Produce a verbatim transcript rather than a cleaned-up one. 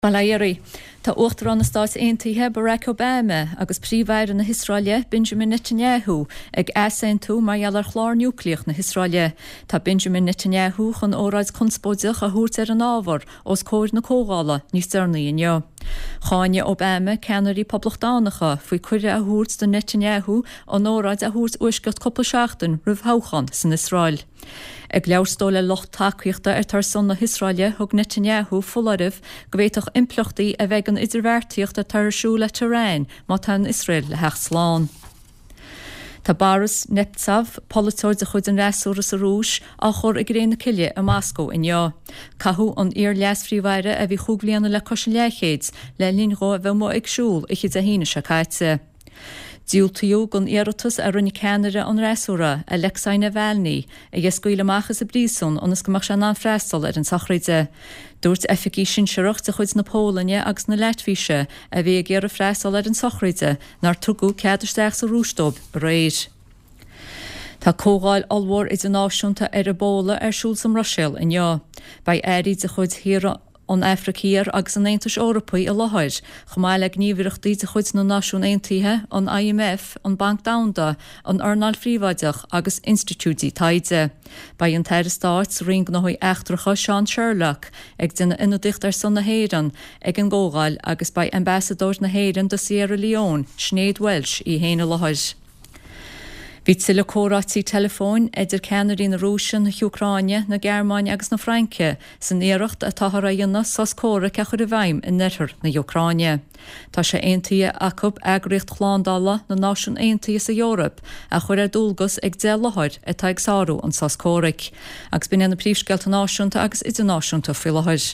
Bail ó Dhia oraibh. Tá Uachtarán na Stáit Aontaithe Barack Obama agus Príomh-Aire na hIosraeile Benjamin Netanyahu ag easaontú mar gheall ar chlár núicléach na hIosraeile. Tá Benjamin Netanyahu chun óráid conspóideach a thabhairt ar an ábhar os comhair na comhdhála níos deireanaí inniu. Cháin Obama ceannairí poblachtánacha faoi cuireadh a thabhairt do Netanyahu an óráid a thabhairt uaisceacht cúpla seachtain roimh thoghchán san Iosrael. Ag labhairt dó le lucht tacaíochta ar ar son na hIosraeile thug Netanyahu foláireamh go bhféadfadh impleachtaí a bheith ag an idirbheartaíocht atá ar siúl le Tehran má tá an Iosrael le theacht slán. Tá Boris Nemtsov, polaiteoir de chuid an fhreasúra sa Rúis, á chur i gcré na cille i Moscó inniu. Caitheadh an iar-leas-phríomh-aire a bhí chúig bliana le cois an leathchéid le linn dó a bheith amuigh ag siúl oíche Dé hAoine seo caite. Diúltaíodh don iarratas a rinne ceannaire an fhreasúra, Alexei Navalny, é a scaoileadh amach as an bpríosún ionas go mbeadh sé in ann freastal ar an tsochraid. Dúirt oifigigh sinsearach de chuid na Polainne agus na Laitvise a bhí ag iarraidh freastal ar an tsochraid nár tugadh cead isteach sa Rúis dóibh aréir. Tá comhdháil ollmhór idirnáisiúnta ar Ebola ar siúl sa mBruiséil inniu. Beidh airí de chuid thíortha an Afraic Thiar agus an Aontais Eorpaigh i láthair, chomh maith le gníomhaireachtaí de chuid na Náisiún Aontaithe, an IMF, an Banc Domhanda, an earnáil phríobháideach agus institiúidí taighde. Beidh an tAire Stáit sa Roinn Gnóthaí Eachtracha Seán Sherlock ag déanamh ionadaíocht ar son na hÉireann ag an gcomhdháil agus beidh ambasadóir na hÉireann do Sierra Leone, Sinéad Walsh í féin i láthair. Bhí tuilleadh comhráití teileafóin idir ceannairí na Rúise, na hÚcráine, na Gearmáine agus na Fraince san iarracht atáthar a dhéanamh sos comhraic a chur i bhfeidhm in oirthear na hÚcráine. Tá sé aontaithe acu eagraíocht shlándála na Náisiún Aontaithe sa Eoraip a chur ar dualgas ag deich láthair atá ag sárú an sos comhraic. Agus b'in na príomhscéalta náisiúnta agus idirnáisiúnta faoi láthair.